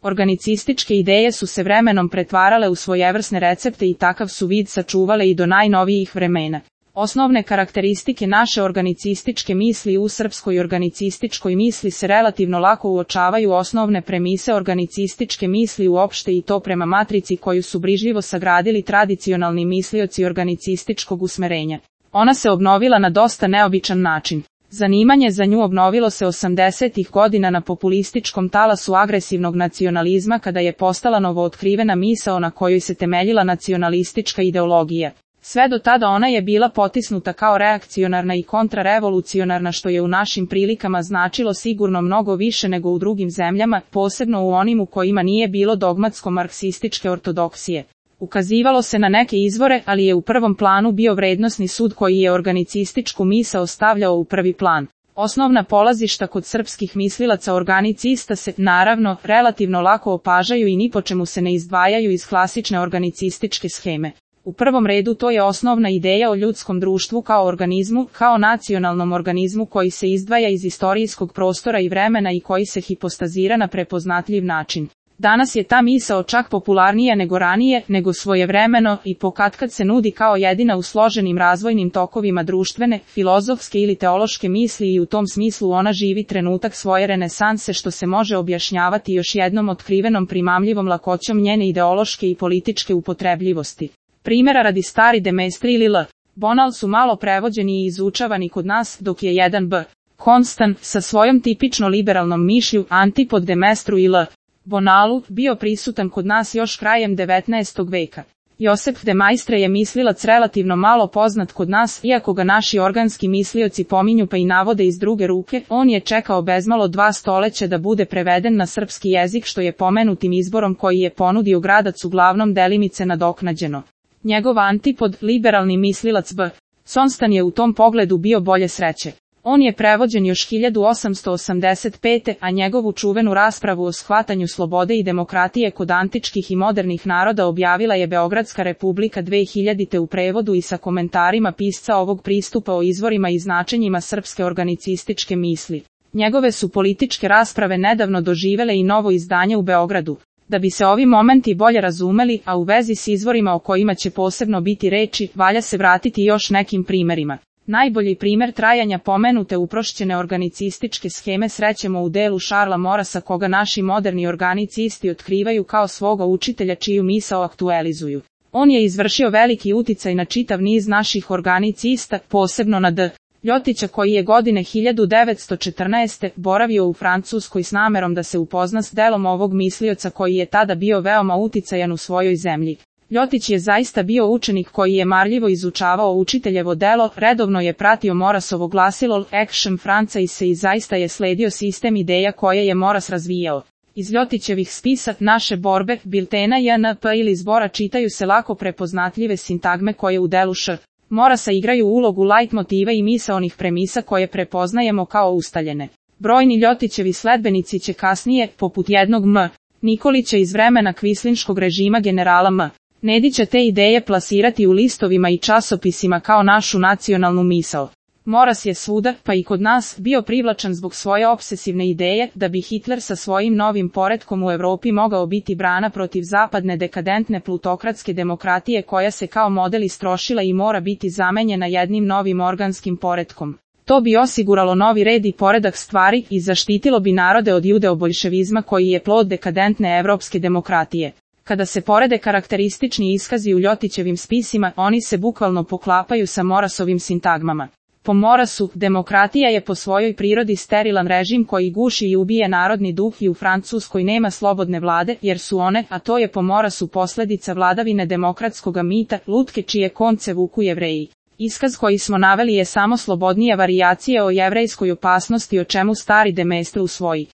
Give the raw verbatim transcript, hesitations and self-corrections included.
Organicističke ideje su se vremenom pretvarale u svojevrsne recepte i takav su vid sačuvale i do najnovijih vremena. Osnovne karakteristike naše organicističke misli u srpskoj organicističkoj misli se relativno lako uočavaju osnovne premise organicističke misli uopšte i to prema matrici koju su brižljivo sagradili tradicionalni mislioci organicističkog usmerenja. Ona se obnovila na dosta neobičan način. Zanimanje za nju obnovilo se osamdesetih godina na populističkom talasu agresivnog nacionalizma kada je postala novootkrivena misao na kojoj se temeljila nacionalistička ideologija. Sve do tada ona je bila potisnuta kao reakcionarna i kontrarevolucionarna što je u našim prilikama značilo sigurno mnogo više nego u drugim zemljama, posebno u onim u kojima nije bilo dogmatsko-marksističke ortodoksije. Ukazivalo se na neke izvore, ali je u prvom planu bio vrednosni sud koji je organicističku misao stavljao u prvi plan. Osnovna polazišta kod srpskih mislilaca organicista se, naravno, relativno lako opažaju i ni po čemu se ne izdvajaju iz klasične organicističke sheme. U prvom redu to je osnovna ideja o ljudskom društvu kao organizmu, kao nacionalnom organizmu koji se izdvaja iz istorijskog prostora i vremena i koji se hipostazira na prepoznatljiv način. Danas je ta misao čak popularnija nego ranije, nego svojevremeno i pokatkad se nudi kao jedina u složenim razvojnim tokovima društvene, filozofske ili teološke misli i u tom smislu ona živi trenutak svoje renesanse što se može objašnjavati još jednom otkrivenom primamljivom lakoćom njene ideološke i političke upotrebljivosti. Primjera radi stari Demestri ili L. Bonal su malo prevođeni i izučavani kod nas, dok je jedan B. Konstan, sa svojom tipično liberalnom mišlju, antipod Demestru i L. Bonalu, bio prisutan kod nas još krajem devetnaestog veka. Josep de Maistre je mislilac relativno malo poznat kod nas, iako ga naši organski mislioci pominju pa i navode iz druge ruke, on je čekao bezmalo dva stoleća da bude preveden na srpski jezik što je pomenutim izborom koji je ponudio Gradac uglavnom delimice nadoknađeno. Njegov antipod, liberalni mislilac B. Konstan je u tom pogledu bio bolje sreće. On je prevođen još hiljadu osamsto osamdeset pete. a njegovu čuvenu raspravu o shvatanju slobode i demokratije kod antičkih i modernih naroda objavila je Beogradska republika dve hiljadite. u prevodu i sa komentarima pisca ovog pristupa o izvorima i značenjima srpske organicističke misli. Njegove su političke rasprave nedavno doživele i novo izdanje u Beogradu. Da bi se ovi momenti bolje razumeli, a u vezi s izvorima o kojima će posebno biti reči, valja se vratiti još nekim primjerima. Najbolji primjer trajanja pomenute uprošćene organicističke sheme srećemo u delu Šarla Morasa koga naši moderni organicisti otkrivaju kao svoga učitelja čiju misao aktualizuju. On je izvršio veliki uticaj na čitav niz naših organicista, posebno na D. Ljotića koji je godine hiljadu devetsto četrnaeste. boravio u Francuskoj s namerom da se upozna s delom ovog mislioca koji je tada bio veoma uticajan u svojoj zemlji. Ljotić je zaista bio učenik koji je marljivo izučavao učiteljevo delo, redovno je pratio Morasovo glasilo Action Franca i se i zaista je sledio sistem ideja koje je Moras razvijao. Iz Ljotićevih spisa, naše borbe, biltena J N P ili zbora čitaju se lako prepoznatljive sintagme koje u delu Š. Morasa igraju ulogu lajtmotiva i misaonih premisa koje prepoznajemo kao ustaljene. Brojni Ljotićevi sledbenici će kasnije, poput jednog M. Nikolića iz vremena kvislinškog režima generala M. Nedića te ideje plasirati u listovima i časopisima kao našu nacionalnu misao. Moras je svuda, pa i kod nas, bio privlačan zbog svoje obsesivne ideje da bi Hitler sa svojim novim poretkom u Europi mogao biti brana protiv zapadne dekadentne plutokratske demokratije koja se kao model istrošila i mora biti zamenjena jednim novim organskim poretkom. To bi osiguralo novi red i poredak stvari i zaštitilo bi narode od judeo-boljševizma koji je plod dekadentne evropske demokratije. Kada se porede karakteristični iskazi u Ljotićevim spisima, oni se bukvalno poklapaju sa Morasovim sintagmama. Po Morasu, demokratija je po svojoj prirodi sterilan režim koji guši i ubije narodni duh i u Francuskoj nema slobodne vlade, jer su one, a to je po Morasu posljedica vladavine demokratskoga mita, lutke čije konce vuku Jevreji. Iskaz koji smo naveli je samo slobodnija varijacija o jevrejskoj opasnosti o čemu stari Demestre usvoji.